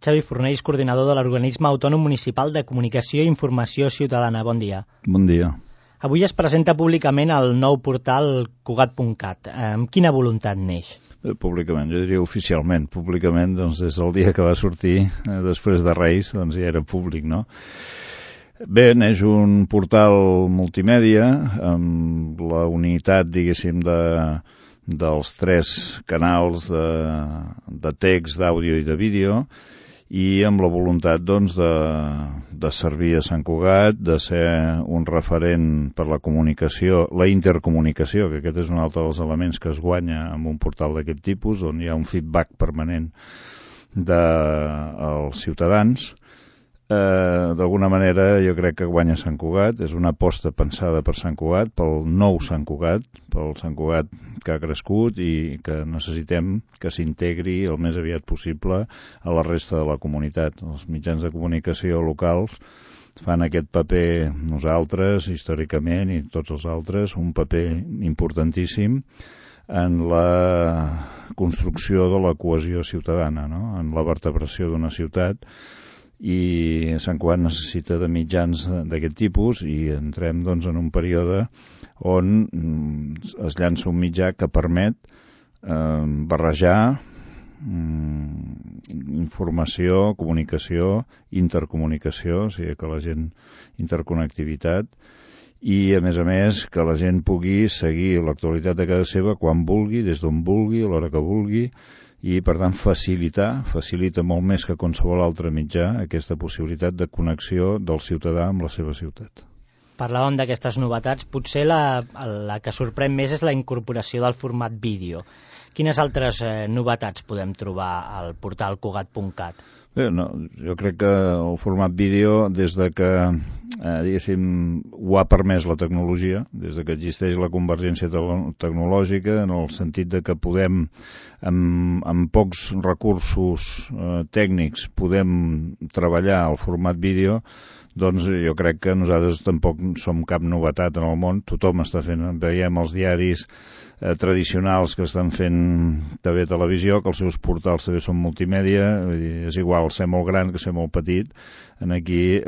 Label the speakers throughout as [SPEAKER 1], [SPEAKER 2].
[SPEAKER 1] Xavi Fornells, coordinador de l'Organisme Autònom Municipal de Comunicació i Informació Ciutadana. Bon dia.
[SPEAKER 2] Bon dia.
[SPEAKER 1] Avui es presenta públicament el nou portal Cugat.cat. Amb quina voluntat neix?
[SPEAKER 2] Públicament, jo diria oficialment. Públicament, doncs, des del dia que va sortir, després de Reis, doncs ja era públic, no? Bé, neix un portal multimèdia amb la unitat, diguéssim, dels 3 canals de text, d'àudio i de vídeo, i amb la voluntat, doncs, de servir a Sant Cugat, de ser un referent per la comunicació, la intercomunicació, que aquest és un altre dels elements que es guanya amb un portal d'aquest tipus, on hi ha un feedback permanent dels ciutadans. D'alguna manera jo crec que guanya Sant Cugat, és una aposta pensada per Sant Cugat, pel nou Sant Cugat, pel Sant Cugat que ha crescut i que necessitem que s'integri el més aviat possible a la resta de la comunitat. Els mitjans de comunicació locals fan aquest paper, nosaltres, històricament, i tots els altres, un paper importantíssim en la construcció de la cohesió ciutadana, no? En la vertebració d'una ciutat, i Sant Cugat necessita de mitjans d'aquest tipus i entrem, doncs, en un període on es llança un mitjà que permet barrejar informació, comunicació, intercomunicació, o sigui que la gent, interconnectivitat, i a més que la gent pugui seguir l'actualitat de casa seva quan vulgui, des d'on vulgui, a l'hora que vulgui, i per tant facilita molt més que qualsevol altre mitjà aquesta possibilitat de connexió del ciutadà amb la seva ciutat.
[SPEAKER 1] Parlàvem d'aquestes novetats, potser la que sorprèn més és la incorporació del format vídeo. Quines altres novetats podem trobar al portal Cugat.cat?
[SPEAKER 2] Bé, no, jo crec que el format vídeo, des de que diguéssim, ho ha permès la tecnologia, des de que existeix la convergència tecnològica, en el sentit de que podem, amb pocs recursos tècnics, podem treballar el format vídeo, doncs jo crec que nosaltres tampoc som cap novetat en el món. Tothom està fent, veiem els diaris tradicionals que estan fent TV televisió, que els seus portals també són multimèdia, és igual ser molt gran que ser molt petit. Aquí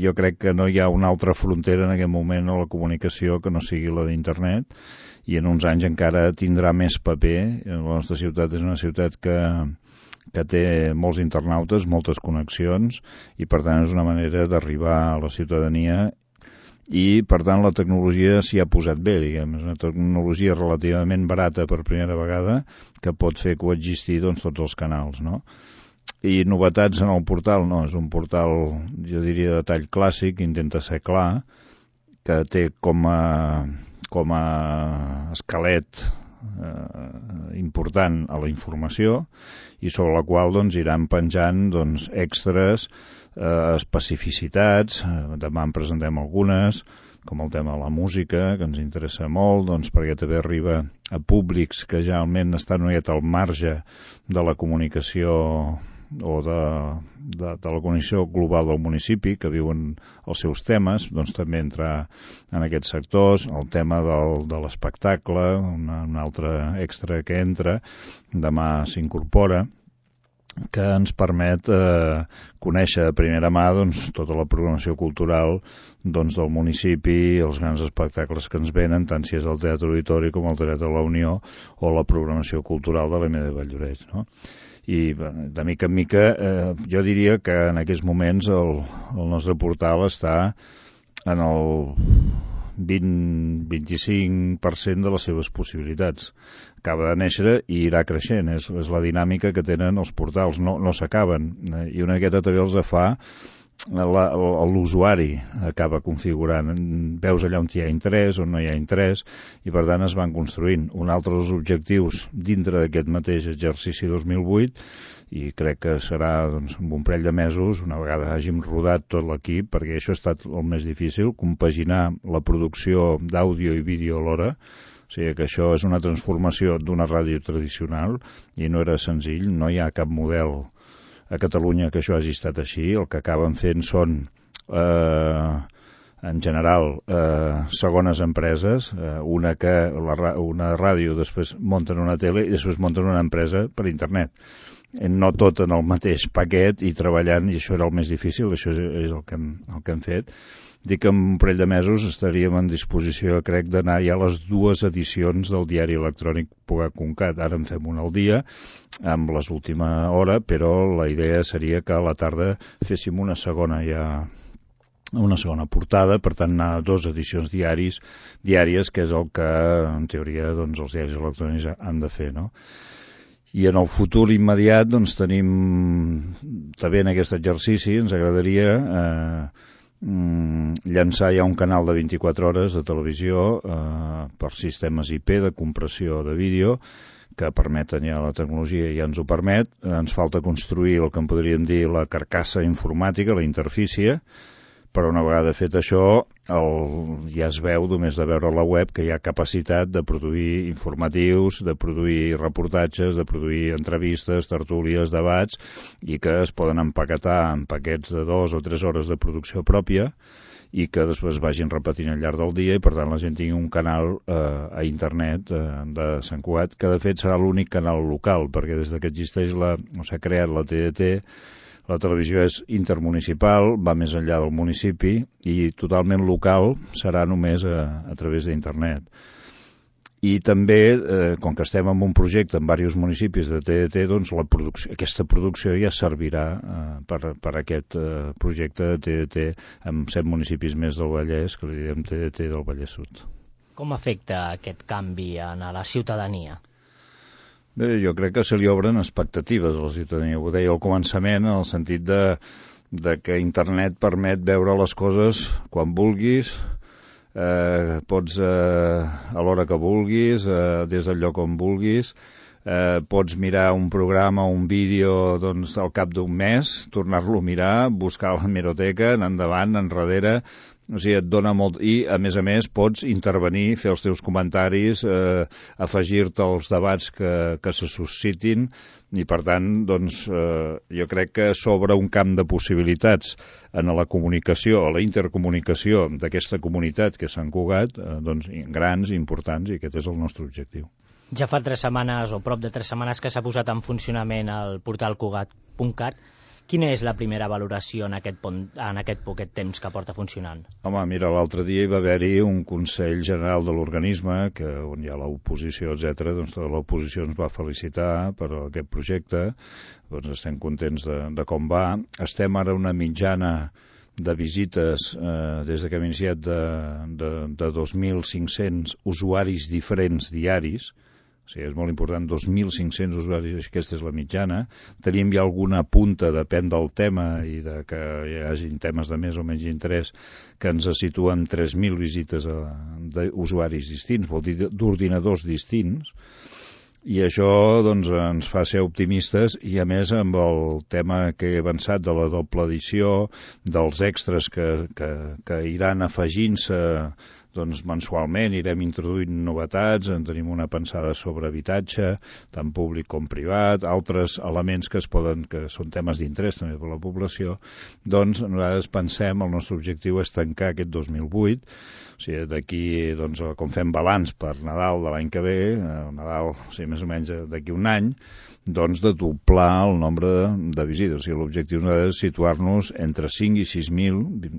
[SPEAKER 2] jo crec que no hi ha una altra frontera en aquest moment a la comunicació que no sigui la d'internet, i en uns anys encara tindrà més paper. La nostra ciutat és una ciutat que té molts internautes, moltes connexions, i per tant és una manera d'arribar a la ciutadania, i per tant la tecnologia s'hi ha posat bé, diguem. És una tecnologia relativament barata per primera vegada que pot fer coexistir, doncs, tots els canals, no? I novetats en el portal, no, és un portal, jo diria, de tall clàssic, intenta ser clar, que té com a esquelet important a la informació, i sobre la qual, doncs, iran penjant, doncs, extras, especificitats. Demà en presentem algunes, com el tema de la música, que ens interessa molt, doncs, perquè també arriba a públics que generalment estan una miqueta al marge de la comunicació o de la connexió global del municipi, que viuen els seus temes, doncs també entrar en aquests sectors. El tema de l'espectacle, un altre extra que entra, demà s'incorpora, que ens permet conèixer de primera mà, doncs, tota la programació cultural, doncs, del municipi, els grans espectacles que ens venen, tant si és el Teatre Auditori com el Teatre de la Unió o la programació cultural de l'EM de Valldoreix, no? I de mica en mica jo diria que en aquests moments el nostre portal està en el 20-25% de les seves possibilitats. Acaba de néixer i irà creixent, és la dinàmica que tenen els portals, no s'acaben, i una miqueta també els fa l'usuari, acaba configurant, veus allà on hi ha interès, on no hi ha interès, i per tant es van construint. Un altre dels objectius dintre d'aquest mateix exercici 2008, i crec que serà, doncs, en un parell de mesos, una vegada hàgim rodat tot l'equip, perquè això ha estat el més difícil, compaginar la producció d'àudio i vídeo alhora. O sigui que això és una transformació d'una ràdio tradicional i no era senzill, no hi ha cap model a Catalunya que això hagi estat així. El que acaben fent són en general, segones empreses, una ràdio, després munten una tele i després munten una empresa per internet. No tot en el mateix paquet i treballant, i això era el més difícil, això és el que hem fet. Dic que en un parell de mesos estaríem en disposició, crec, d'anar ja a les 2 edicions del diari electrònic Pugat.cat. Ara en fem una al dia, amb les última hora, però la idea seria que a la tarda féssim una segona portada, per tant anar a 2 edicions diàries, que és el que, en teoria, doncs, els diaris electrònics han de fer, no? I en el futur immediat, doncs, tenim també en aquest exercici, ens agradaria llançar ja un canal de 24 hores de televisió per sistemes IP de compressió de vídeo que permeten ja la tecnologia, ja ens ho permet. Ens falta construir el que en podríem dir la carcassa informàtica, la interfície, però una vegada fet això ja es veu, només de veure la web, que hi ha capacitat de produir informatius, de produir reportatges, de produir entrevistes, tertúlies, debats, i que es poden empaquetar en paquets de 2 o 3 hores de producció pròpia i que després vagin repetint al llarg del dia i per tant la gent tingui un canal a internet de Sant Cugat, que de fet serà l'únic canal local, perquè des que existeix s'ha creat la TDT, la televisió és intermunicipal, va més enllà del municipi i totalment local serà només a través d'internet. I també, com que estem en un projecte en diversos municipis de TDT, doncs aquesta producció ja servirà per aquest projecte de TDT amb 7 municipis més del Vallès, que li diem TDT del Vallès Sud.
[SPEAKER 1] Com afecta aquest canvi a la ciutadania?
[SPEAKER 2] Bé, jo crec que se li obren expectatives a la ciutadania. Ho deia al començament, en el sentit de que internet permet veure les coses quan vulguis, pots a l'hora que vulguis, des del lloc on vulguis, pots mirar un programa o un vídeo doncs, al cap d'un mes, tornar-lo a mirar, buscar a l'hemeroteca, anar endavant, enrere. O sigui, et dona molt... I, a més, pots intervenir, fer els teus comentaris, afegir-te als debats que se suscitin i, per tant, doncs, jo crec que s'obre un camp de possibilitats en la comunicació, a la intercomunicació d'aquesta comunitat que és Sant Cugat, doncs, grans, importants, i aquest és el nostre objectiu.
[SPEAKER 1] Ja fa 3 setmanes, o prop de 3 setmanes, que s'ha posat en funcionament el portal Cugat.cat. Quina és la primera valoració en aquest poquet temps que porta funcionant?
[SPEAKER 2] Home, mira, l'altre dia hi va haver-hi un Consell General de l'organisme, on hi ha l'oposició, etc. Doncs tota l'oposició ens va felicitar per aquest projecte. Doncs estem contents de com va. Estem ara una mitjana de visites des que hem iniciat de 2.500 usuaris diferents diaris. O sigui, és molt important, 2.500 usuaris, aquesta és la mitjana. Tenim ja alguna punta, depèn del tema i de que hi hagi temes de més o menys interès, que ens situen 3.000 visites d'usuaris distints, vol dir d'ordinadors distints, i això doncs, ens fa ser optimistes i a més amb el tema que he avançat de la doble edició, dels extras que iran afegint-se doncs mensualment irem introduint novetats, en tenim una pensada sobre habitatge, tant públic com privat, altres elements que són temes d'interès també per la població, doncs nosaltres pensem, el nostre objectiu és tancar aquest 2008, o sigui, d'aquí, doncs, com fem balanç per Nadal de l'any que ve, Nadal, o sigui, més o menys d'aquí un any, doncs de doblar el nombre de visites. O sigui, l'objectiu és situar-nos entre 5 i 6.000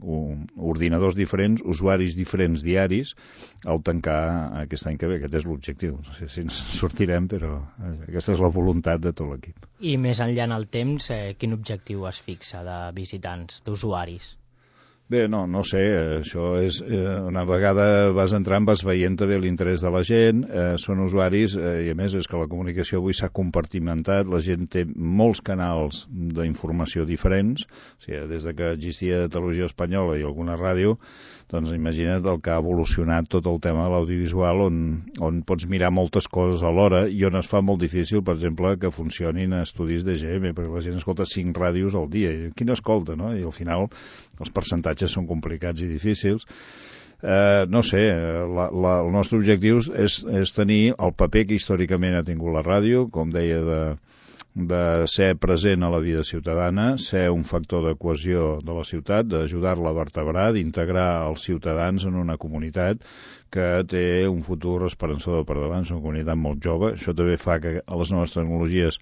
[SPEAKER 2] ordinadors diferents, usuaris diferents diaris, al tancar aquest any que ve. Aquest és l'objectiu. No sé si ens sortirem, però aquesta és la voluntat de tot l'equip.
[SPEAKER 1] I més enllà en el temps, quin objectiu es fixa de visitants, d'usuaris?
[SPEAKER 2] Bé, no sé, això és... una vegada vas entrant, vas veient també l'interès de la gent, són usuaris, i a més és que la comunicació avui s'ha compartimentat, la gent té molts canals d'informació diferents, o sigui, des que existia Televisió Espanyola i alguna ràdio, doncs imagina't el que ha evolucionat tot el tema de l'audiovisual, on pots mirar moltes coses alhora i on es fa molt difícil, per exemple, que funcionin estudis d'EGM, perquè la gent escolta 5 ràdios al dia. I quina escolta, no? I al final els percentatges són complicats i difícils. No sé, el nostre objectiu és tenir el paper que històricament ha tingut la ràdio, com deia, de ser present a la vida ciutadana, ser un factor de cohesió de la ciutat, d'ajudar-la a vertebrar, d'integrar els ciutadans en una comunitat que té un futur esperançador per davant, és una comunitat molt jove. Això també fa que a les noves tecnologies,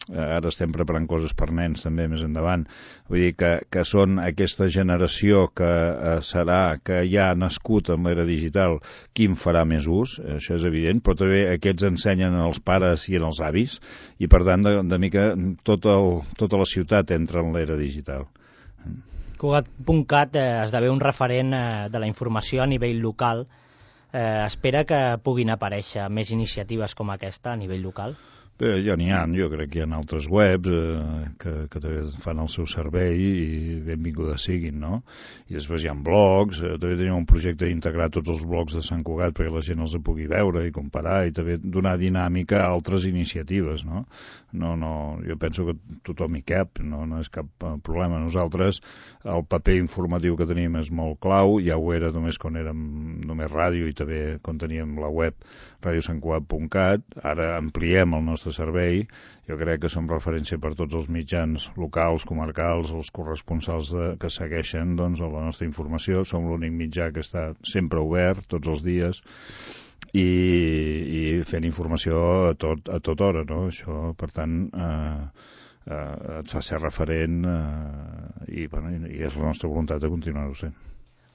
[SPEAKER 2] ara estem preparant coses per nens també més endavant, vull dir que són aquesta generació que serà, que ja ha nascut en l'era digital, qui en farà més ús, això és evident, però també aquests ensenyen als pares i als avis, i per tant de mica tota la ciutat entra en l'era digital.
[SPEAKER 1] Cugat.cat esdevé un referent de la informació a nivell local. Espera que puguin aparèixer més iniciatives com aquesta a nivell local?
[SPEAKER 2] Bé, ja n'hi ha, jo crec que hi ha altres webs que també fan el seu servei i benvingudes siguin, no? I després hi ha blogs, també tenim un projecte d'integrar tots els blogs de Sant Cugat perquè la gent els pugui veure i comparar i també donar dinàmica a altres iniciatives, no? Jo penso que tothom hi cap, no és cap problema. Nosaltres, el paper informatiu que tenim és molt clau, ja ho era només quan érem només ràdio i també quan teníem la web radiosantcugat.cat, ara ampliem el nostre servei, jo crec que som referència per tots els mitjans locals, comarcals, els corresponsals que segueixen doncs, la nostra informació, som l'únic mitjà que està sempre obert, tots els dies, i fent informació a tota hora, no? Això, per tant, et fa ser referent i és la nostra voluntat de continuar-ho sent.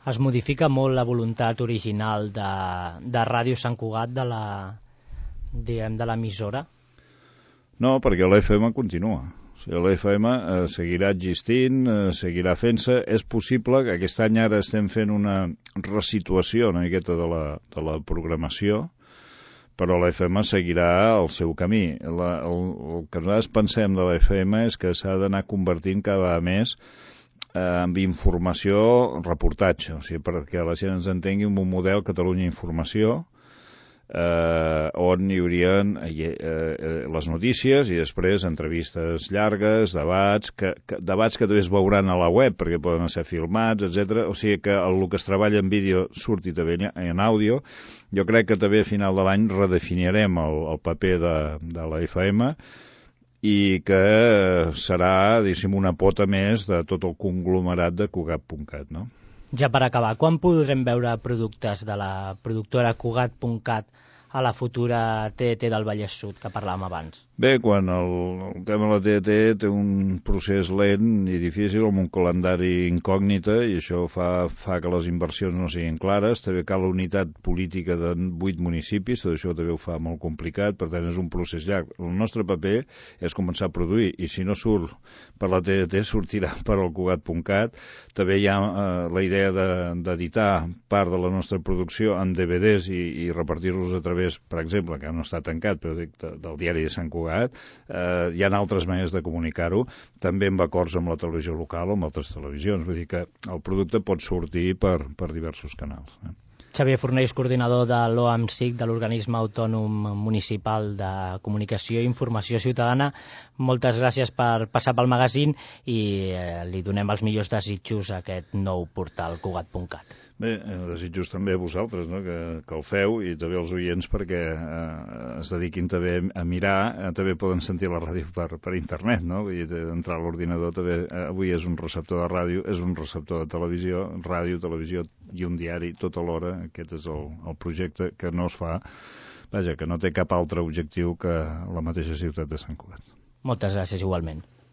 [SPEAKER 1] Es modifica molt la voluntat original de Ràdio Sant Cugat de l'emissora?
[SPEAKER 2] No, perquè l'FM continua. O sigui, l'FM seguirà existint, seguirà fent-se. És possible que aquest any ara estem fent una resituació una miqueta de la programació, però l'FM seguirà el seu camí. El que nosaltres pensem de l'FM és que s'ha d'anar convertint cada vegada més amb informació, reportatge, o sigui, perquè la gent ens entengui un model Catalunya Informació, on hi haurien les notícies i després entrevistes llargues, debats que també es veuran a la web perquè poden ser filmats, etc. O sigui que el que es treballa en vídeo surti també en àudio. Jo crec que també a final de l'any redefinirem el paper de la FM i que serà, diguéssim, una pota més de tot el conglomerat de Cugat.cat, no?
[SPEAKER 1] Ja per acabar, quan podrem veure productes de la productora Cugat.cat a la futura TDT del Vallès Sud, que parlàvem abans?
[SPEAKER 2] Bé, quan el tema de la TDT té un procés lent i difícil, amb un calendari incògnita, i això fa que les inversions no siguin clares. També cal la unitat política de 8 municipis, tot això també ho fa molt complicat, per tant és un procés llarg. El nostre paper és començar a produir, i si no surt per la TDT, sortirà per al Cugat.cat. També hi ha la idea d'editar part de la nostra producció en DVDs i repartir-los a través, per exemple, que no està tancat, però dic, del diari de Sant Cugat. Hi ha altres maneres de comunicar-ho, també amb acords amb la televisió local o amb altres televisions, vull dir que el producte pot sortir per diversos canals.
[SPEAKER 1] Xavier Fornells, coordinador de l'OAMCIC, de l'Organisme Autònom Municipal de Comunicació i Informació Ciutadana, moltes gràcies per passar pel magazín i li donem els millors desitjos a aquest nou portal Cugat.cat.
[SPEAKER 2] Bé, desitjos també a vosaltres, no? que el feu, i també als oients perquè es dediquin també a mirar, també poden sentir la ràdio per internet, no? Vull dir, entrar a l'ordinador també, avui és un receptor de ràdio, és un receptor de televisió, ràdio, televisió i un diari tot alhora. Aquest és el projecte que no es fa, vaja, que no té cap altre objectiu que la mateixa ciutat de Sant Cugat.
[SPEAKER 1] Moltes gràcies igualment.